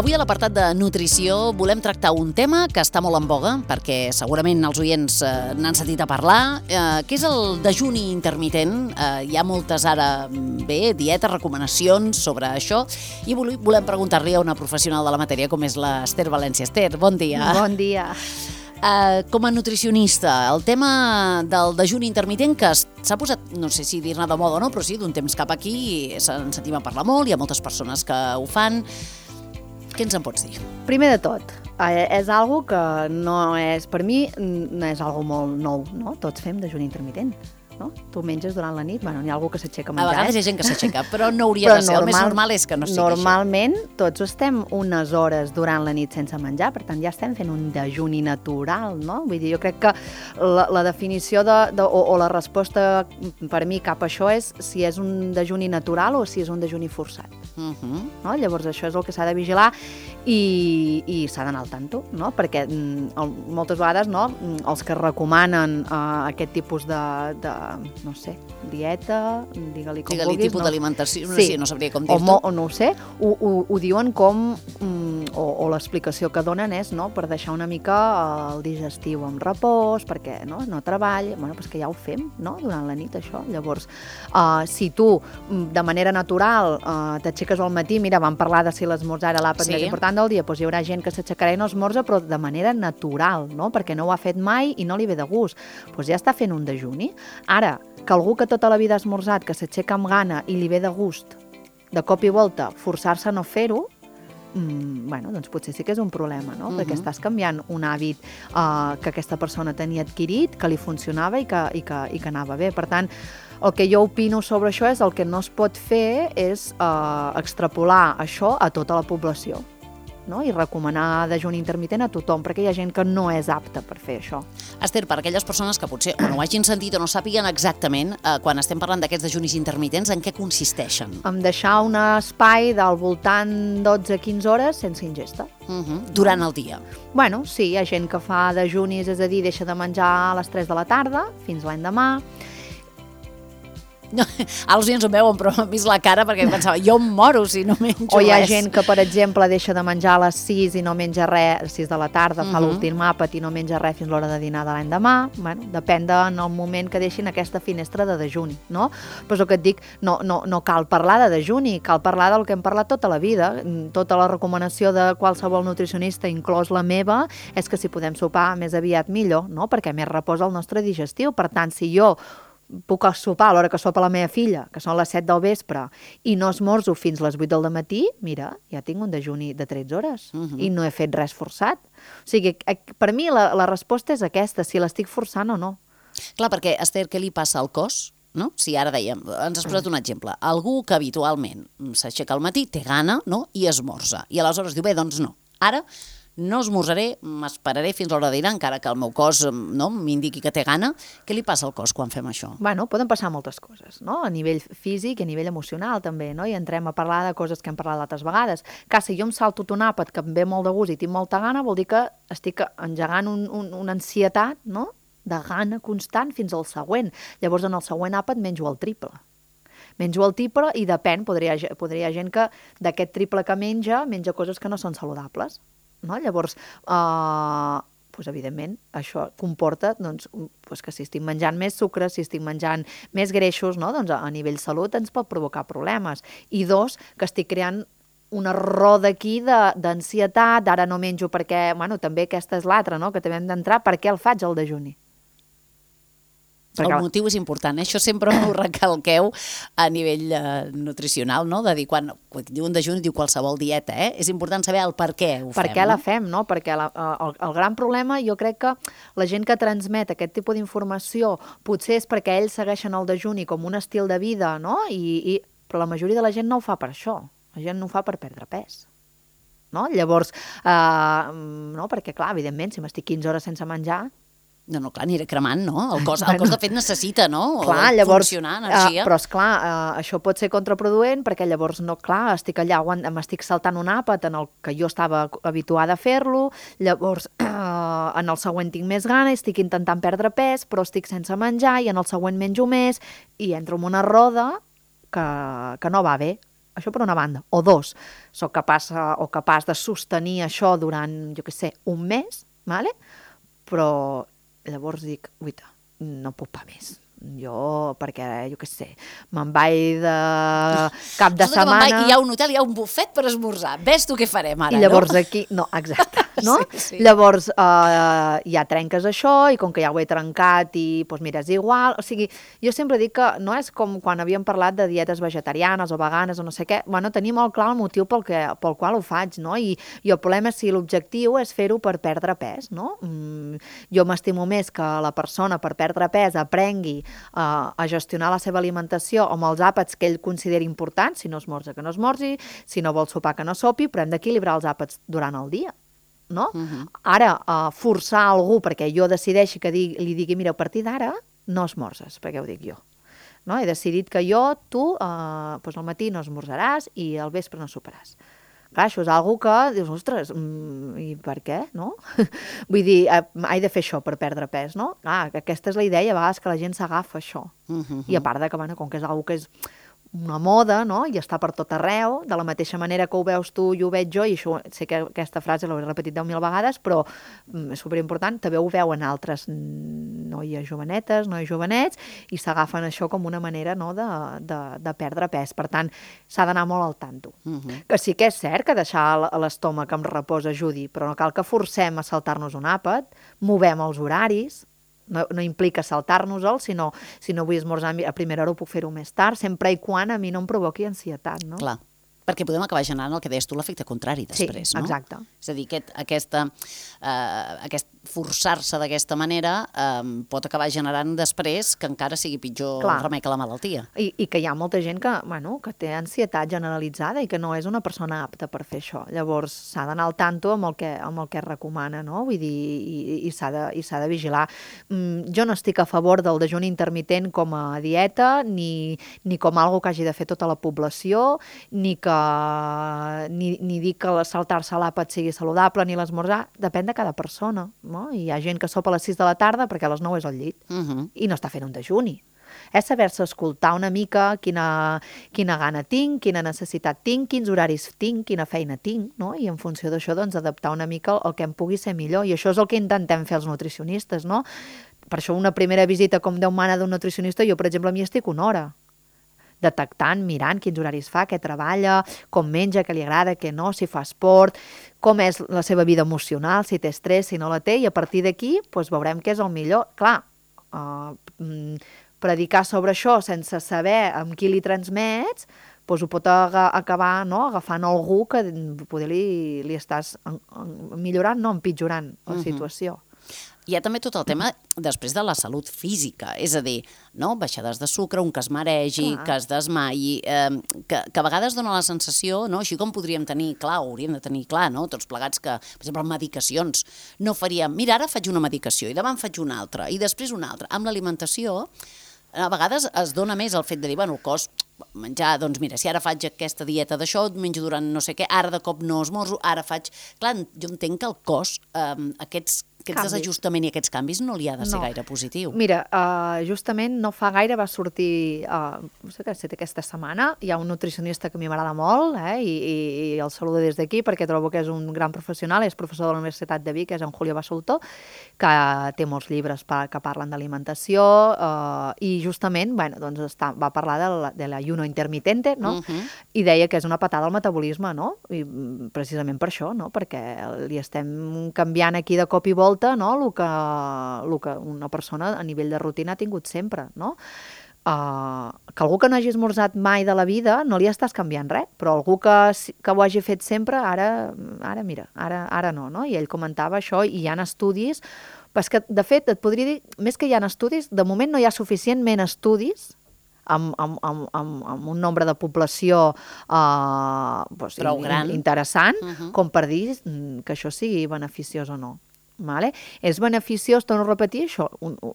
Avui a l'apartat de nutrició volem tractar un tema que està molt en boga, perquè segurament els oients n'han sentit a parlar, que és el dejuni intermitent. Hi ha moltes ara, dietes, recomanacions sobre això, i volem preguntar-li a una professional de la matèria com és l'Ester València. Ester, bon dia. Bon dia. Com a nutricionista, el tema del dejuni intermitent que s'ha posat, no sé si dir-ne de moda o no, però sí, d'un temps cap aquí se'n sentim a parlar molt, hi ha moltes persones que ho fan. Què ens en pots dir? Primer de tot, és algo que no és, per mi, no és algo molt nou, no? Tots fem dejuni intermitent, no? Tu menges durant la nit, bueno, n'hi ha algú que s'aixeca a menjar. A vegades hi ha gent que s'aixeca, però no hauria de ser. El més normal és que no sigui Normalment, tots estem unes hores durant la nit sense menjar, per tant, ja estem fent un dejuni natural, no? Vull dir, jo crec que la definició o la resposta per mi cap a això és si és un dejuni natural o si és un dejuni forçat. No? Llavors, això és el que s'ha de vigilar i s'ha d'anar al tanto, no? Perquè moltes vegades els que recomanen aquest tipus de no sé, dieta, digue-li com vulguis. Digue-li tipus d'alimentació, no sabria com dir-t'ho. O no ho sé, ho diuen com, o l'explicació que donen és per deixar una mica el digestiu en repòs, perquè no treball, doncs que ja ho fem durant la nit, això. Llavors, si tu, de manera natural, t'aixeques al matí, mira, vam parlar de si l'esmorzar era l'àpat més important del dia, doncs hi haurà gent que s'aixecarà i no esmorza, però de manera natural, perquè no ho ha fet mai i no li ve de gust. Doncs ja està fent un dejuni. Ara, que algú que tota la vida ha esmorzat, que s'aixeca amb gana i li ve de gust, de cop i volta, forçar-se a no fer-ho, doncs potser sí que és un problema, no? Perquè estàs canviant un hàbit que aquesta persona tenia adquirit, que li funcionava i que anava bé. Per tant, el que jo opino sobre això és el que no es pot fer és extrapolar això a tota la població, no? I recomanar dejuni intermitent a tothom, perquè hi ha gent que no és apta per fer això. Esther, per aquelles persones que potser o no ho hagin sentit o no sàpiguen exactament, quan estem parlant d'aquests dejunis intermitents, en què consisteixen? En deixar un espai del voltant 12-15 hores sense ingesta. Durant el dia? Bueno, sí, hi ha gent que fa dejunis, és a dir, deixa de menjar a les 3 de la tarda fins l'endemà. Els oients ho veuen, però m'ha vist la cara perquè pensava, jo em moro si no menjo res. O hi ha gent que, per exemple, deixa de menjar a les 6 i no menja res, a les 6 de la tarda, fa l'últim àpat i no menja res fins l'hora de dinar de l'endemà. Bueno, depèn del moment que deixin aquesta finestra de dejuni, no? Però és el que et dic, no cal parlar de dejuni, cal parlar del que hem parlat tota la vida. Tota la recomanació de qualsevol nutricionista, inclòs la meva, és que si podem sopar més aviat millor, no? Perquè més reposa el nostre digestiu. Per tant, si jo puc sopar a l'hora que sopa la meva filla, que són les 7 del vespre, i no esmorzo fins les 8 del matí, mira, ja tinc un dejuni de 13 hores i no he fet res forçat. O sigui, per mi la resposta és aquesta, si l'estic forçant o no. Clar, perquè, Esther, què li passa al cos? No? Si ara dèiem, ens has posat un exemple, algú que habitualment s'aixeca al matí, té gana, no? I esmorza. I aleshores diu, bé, doncs no. Ara no esmorzaré, m'esperaré fins a l'hora de dinar, encara que el meu cos m'indiqui que té gana. Què li passa al cos quan fem això? Bueno, poden passar moltes coses, no? A nivell físic i a nivell emocional també, no? I entrem a parlar de coses que hem parlat altres vegades. Que si jo em salto un àpat que em ve molt de gust i tinc molta gana, vol dir que estic engegant una ansietat, no? De gana constant fins al següent. Llavors, en el següent àpat menjo el triple. Menjo el triple i depèn, podria gent que d'aquest triple que menja coses que no són saludables. No? Llavors, evidentment, això comporta que si estic menjant més sucre, si estic menjant més greixos, a nivell salut ens pot provocar problemes. I dos, que estic creant una roda aquí d'ansietat, ara no menjo perquè, també aquesta és l'altra, que també hem d'entrar, per què el faig el dejuni? El motiu és important, això sempre ho recalqueu a nivell nutricional, no? De dir, quan diu un dejuni, diu qualsevol dieta, és important saber el per què ho fem. Per què la fem, no? Perquè el gran problema, jo crec que la gent que transmet aquest tipus d'informació potser és perquè ells segueixen el dejuni com un estil de vida, no? Però la majoria de la gent no ho fa per això, la gent no ho fa per perdre pes. No? Llavors, perquè clar, evidentment, si m'estic 15 hores sense menjar, No, clar, aniré cremant, no? El cos de fet necessita, no? Clar, llavors, funcionar, energia. Però esclar, això pot ser contraproduent perquè llavors no, clar, estic allà, m'estic saltant un àpat en el que jo estava habituada a fer-lo, llavors en el següent tinc més gana, estic intentant perdre pes, però estic sense menjar i en el següent menjo més i entro en una roda que no va bé. Això per una banda. O dos, soc capaç de sostenir això durant, jo què sé, un mes, vale? Però llavors dic, uita, no puc pa més. Jo, perquè, jo què sé, me'n vaig de cap de setmana... Hi ha un hotel, hi ha un bufet per esmorzar. Ves tu què farem ara, I llavors aquí... No, exacte, no? Sí. Llavors ja trenques això i com que ja ho he trencat i, doncs mira, és igual. O sigui, jo sempre dic que no és com quan havíem parlat de dietes vegetarianes o veganes o no sé què. Bueno, tenir molt clar el motiu pel qual ho faig, no? I el problema és si l'objectiu és fer-ho per perdre pes, no? Jo m'estimo més que la persona per perdre pes aprengui a gestionar la seva alimentació amb els àpats que ell consideri importants, si no esmorza que no esmorzi, si no vol sopar que no sopi, però hem d'equilibrar els àpats durant el dia, no? Ara, forçar algú perquè jo decideixi que li digui, mira, a partir d'ara no esmorzes, perquè ho dic jo. No? He decidit que tu al matí no esmorzaràs i al vespre no soparàs. Clar, això és una que dius, ostres, i per què, no? Vull dir, he de fer això per perdre pes, no? Clar, aquesta és la idea, a vegades que la gent s'agafa això. I a part de que, bueno, com que és una que és una moda, no? I està per tot arreu, de la mateixa manera que ho veus tu i ho veig jo, i això, sé que aquesta frase l'he repetit 10.000 vegades, però és superimportant, també ho veuen altres noies jovenetes, nois jovenets, i s'agafen això com una manera, no?, de perdre pes. Per tant, s'ha d'anar molt al tanto. Que sí que és cert que deixar l'estómac en repòs ajudi, però no cal que forcem a saltar-nos un àpat, movem els horaris, no implica saltar-nos-el, sinó si no vull esmorzar a primera hora ho puc fer-ho més tard, sempre i quan a mi no em provoqui ansietat, no? Clar, perquè podem acabar generant el que deies tu, l'efecte contrari després, no? Sí, exacte. És a dir, aquest forçar-se d'aquesta manera pot acabar generant després que encara sigui pitjor el remei que la malaltia. I que hi ha molta gent que té ansietat generalitzada i que no és una persona apta per fer això. Llavors s'ha d'anar al tanto amb el que es recomana, no? Vull dir, i s'ha de vigilar. Jo no estic a favor del dejuni intermitent com a dieta, ni com algo que hagi de fer tota la població, ni dir que saltar-se l'àpat sigui saludable, ni l'esmorzar, depèn de cada persona, no? Hi ha gent que sopa a les 6 de la tarda perquè a les 9 és al llit i no està fent un dejuni. És saber-se escoltar una mica quina gana tinc, quina necessitat tinc, quins horaris tinc, quina feina tinc, no? I en funció d'això, doncs, adaptar una mica el que em pugui ser millor. I això és el que intentem fer els nutricionistes, no? Per això una primera visita, com Déu mana, d'un nutricionista, jo, per exemple, m'hi estic una hora, detectant, mirant quins horaris fa, què treballa, com menja, què li agrada, què no, si fa esport, com és la seva vida emocional, si té estrès, si no la té, i a partir d'aquí veurem què és el millor. Clar, predicar sobre això sense saber amb qui li transmets, ho pot acabar agafant algú que poder li estàs millorant, no empitjorant la situació. Hi ha també tot el tema després de la salut física, és a dir, baixades de sucre, un que es maregi, que es desmaiï, que a vegades dona la sensació, així com podríem tenir clar, o hauríem de tenir clar, tots plegats que, per exemple, amb medicacions, no faríem, mira, ara faig una medicació i demà en faig una altra i després una altra. Amb l'alimentació, a vegades es dona més el fet de dir, bueno, el cos menjar, doncs mira, si ara faig aquesta dieta d'això, menjo durant no sé què, ara de cop no esmorzo, ara faig... Clar, jo entenc que el cos, aquest desajustament i aquests canvis no li ha de ser gaire positiu. Mira, justament no fa gaire va sortir, no sé què ha estat aquesta setmana, hi ha un nutricionista que a mi m'agrada molt, i el saludo des d'aquí perquè trobo que és un gran professional, és professor de la Universitat de Vic, és en Julio Basulto, que té molts llibres que parlen d'alimentació, i justament va parlar de l'ayuno intermitente, no? I deia que és una patada al metabolisme, no? I precisament per això, no? Perquè li estem canviant aquí de cop i volta el que una persona a nivell de rutina ha tingut sempre, no? Que algú que no hagi esmorzat mai de la vida no li estàs canviant res, però algú que ho hagi fet sempre, ara no? I ell comentava això, i hi ha estudis, però és que, de fet, et podria dir, més que hi ha estudis, de moment no hi ha suficientment estudis amb un nombre de població prou gran, interessant, com per dir que això sigui beneficiós o no. Vale? És beneficiós, torno a repetir això,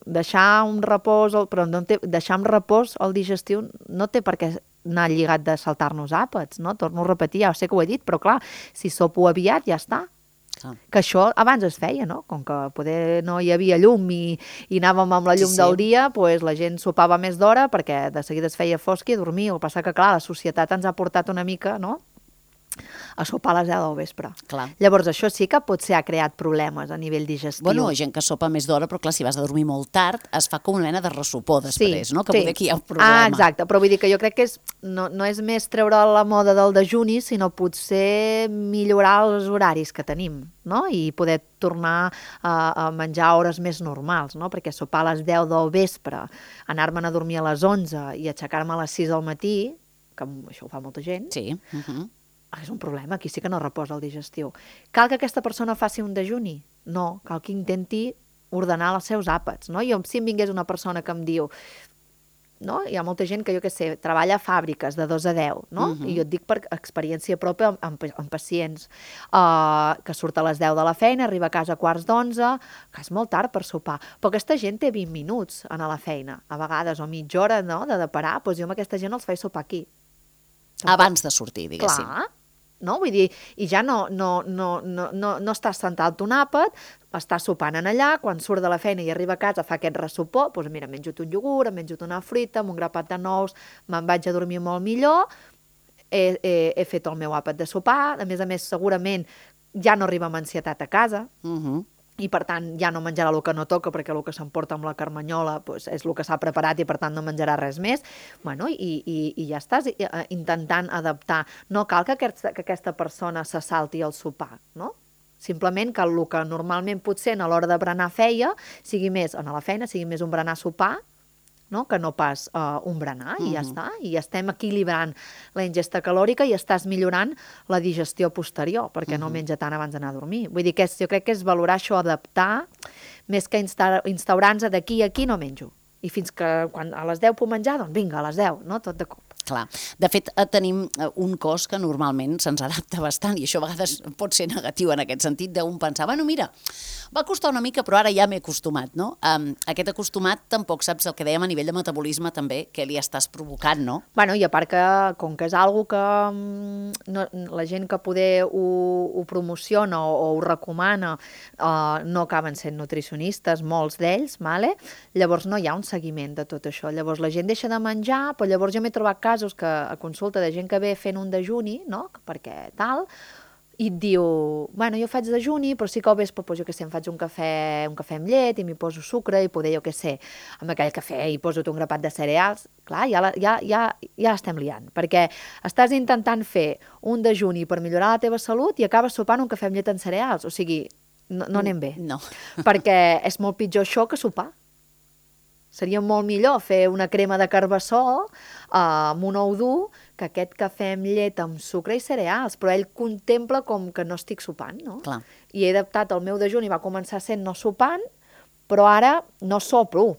deixar un repòs, però deixar en repòs el digestiu no té per què anar lligat de saltar-nos àpats, no? Torno a repetir, ja sé que ho he dit, però clar, si sopo aviat ja està. Que això abans es feia, no? Com que poder no hi havia llum i anàvem amb la llum del dia, doncs la gent sopava més d'hora perquè de seguida es feia fosc i dormia. El que passa que, clar, la societat ens ha portat una mica, no?, a sopar a les 10 del vespre. Clar. Llavors, això sí que potser ha creat problemes a nivell digestiu. Bueno, gent que sopa més d'hora, però clar, si vas a dormir molt tard, es fa com una mena de ressopor després, no? Que poder aquí hi ha un problema. Exacte, però vull dir que jo crec que no és més treure la moda del dejuni, sinó potser millorar els horaris que tenim, no? I poder tornar a menjar a hores més normals, no? Perquè sopar a les 10 del vespre, anar-me'n a dormir a les 11 i aixecar-me a les 6 del matí, que això ho fa molta gent, sí. És un problema, aquí sí que no reposa el digestiu. Cal que aquesta persona faci un dejuni? No, cal que intenti ordenar els seus àpats, no? Si em vingués una persona que em diu, no? Hi ha molta gent que, jo què sé, treballa a fàbriques de 2 a 10, no? I jo et dic per experiència pròpia amb pacients, que surt a les 10 de la feina, arriba a casa a 11:15, que és molt tard per sopar. Però aquesta gent té 20 minuts a anar a la feina, a vegades, o mitja hora, no?, de parar, doncs jo amb aquesta gent els faig sopar aquí. Abans de sortir, diguéssim. Clar, no? Vull dir, i ja no estàs sentat un àpat, estàs sopant en allà, quan surt de la feina i arriba a casa fa aquest ressopor, doncs mira, menjo un iogurt, em menjo una fruita, amb un grapat de nous, me'n vaig a dormir molt millor, he fet el meu àpat de sopar, a més, segurament ja no arriba amb ansietat a casa, i per tant ja no menjarà el que no toca perquè el que s'emporta amb la carmanyola doncs, és el que s'ha preparat i per tant no menjarà res més. Bueno, i ja estàs intentant adaptar. No cal que aquesta persona se salti el sopar, no? Simplement que el que normalment potser a l'hora de berenar feia sigui més, a la feina, sigui més un berenar-sopar, no? Que no pas un berenar, i ja està. I estem equilibrant la ingesta calòrica i estàs millorant la digestió posterior, perquè no menja tant abans d'anar a dormir. Vull dir que jo crec que és valorar això, adaptar, més que instaurar-nos d'aquí a aquí no menjo. I fins que quan a les 10 puc menjar, doncs vinga, a les 10, no? Tot de cop. Clar. De fet, tenim un cos que normalment se'ns adapta bastant, i això a vegades pot ser negatiu en aquest sentit, d'un pensar, bueno, mira, va costar una mica, però ara ja m'he acostumat, no? Aquest acostumat tampoc saps el que dèiem a nivell de metabolisme també, que li estàs provocant, no? Bueno, i a part que, com que és algo que la gent que poder ho promociona o ho recomana no acaben sent nutricionistes, molts d'ells, llavors no hi ha un seguiment de tot això. Llavors la gent deixa de menjar, però llavors jo m'he trobat casos que a consulta de gent que ve fent un dejuni, no?, perquè tal, i et diu, bueno, jo faig dejuni, però sí que al vespre, jo què sé, em faig un cafè amb llet i m'hi poso sucre i poder, jo què sé, amb aquell cafè hi poso un grapat de cereals. Clar, ja estem liant, perquè estàs intentant fer un dejuni per millorar la teva salut i acabes sopant un cafè amb llet en cereals. O sigui, no anem bé. No. Perquè és molt pitjor això que sopar. Seria molt millor fer una crema de carbassó amb un ou dur que aquest cafè amb llet amb sucre i cereals, però ell contempla com que no estic sopant, no? Clar. I he adaptat el meu dejuni, va començar sent no sopant, però ara no sopro.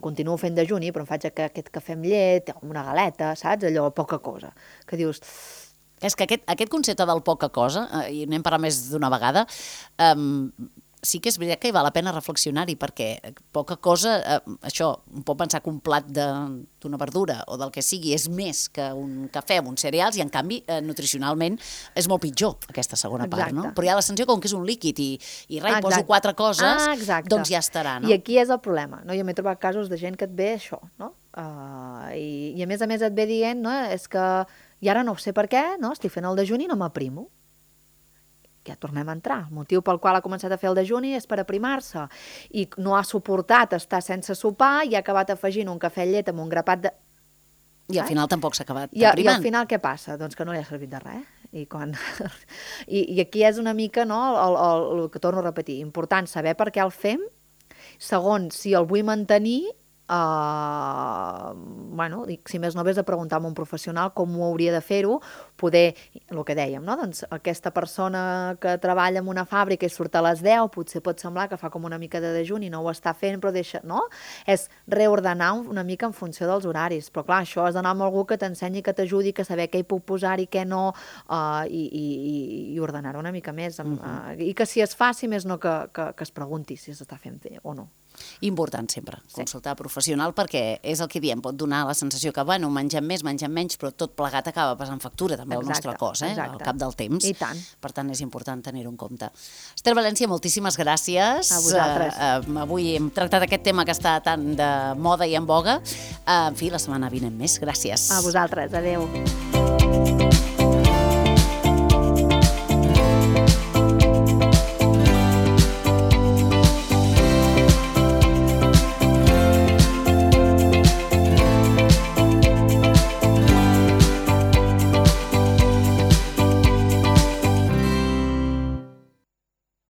Continuo fent dejuni, però em faig aquest cafè amb llet, amb una galeta, saps? Allò, poca cosa. Que dius... És que aquest concepte del poca cosa, i n'hem parlat més d'una vegada, sí que és veritat que val la pena reflexionar-hi, perquè poca cosa, això, un pot pensar que un plat d'una verdura o del que sigui és més que un cafè amb uns cereals i, en canvi, nutricionalment és molt pitjor, aquesta segona part, no? Però hi ha la sensació com que és un líquid i res, poso 4 coses, doncs ja estarà, no? I aquí és el problema, no? Jo m'he trobat casos de gent que et ve això, no? I a més et ve dient, no? És que, i ara no sé per què, no? Estic fent el dejuni i no m'aprimo. Ja tornem a entrar. El motiu pel qual ha començat a fer el dejuni és per aprimar-se i no ha suportat estar sense sopar i ha acabat afegint un cafè amb llet amb un grapat de... I al final tampoc s'ha acabat aprimant. I al final què passa? Doncs que no li ha servit de res. I aquí és una mica, no, el que torno a repetir, important saber per què el fem, segon, si el vull mantenir, bueno, si més no, vés a preguntar a un professional com ho hauria de fer-ho, poder, el que dèiem, no? Doncs aquesta persona que treballa en una fàbrica i surt a les 10, potser pot semblar que fa com una mica de dejuni i no ho està fent, però deixa, no? És reordenar una mica en funció dels horaris, però clar, això has d'anar amb algú que t'ensenyi, que t'ajudi, que saber què hi puc posar i què no, i ordenar-ho una mica més, i que si es fa, si més no, que es pregunti si s'està fent bé o no. Important sempre, consultar professional, perquè és el que diem, pot donar la sensació que, bueno, mengem més, mengem menys, però tot plegat acaba passant factura també al nostre cos, al cap del temps. I tant. Per tant, és important tenir-ho en compte. Esther València, moltíssimes gràcies. A vosaltres. Avui hem tractat aquest tema que està tan de moda i en boga. En fi, la setmana vinent més. Gràcies. A vosaltres. Adéu.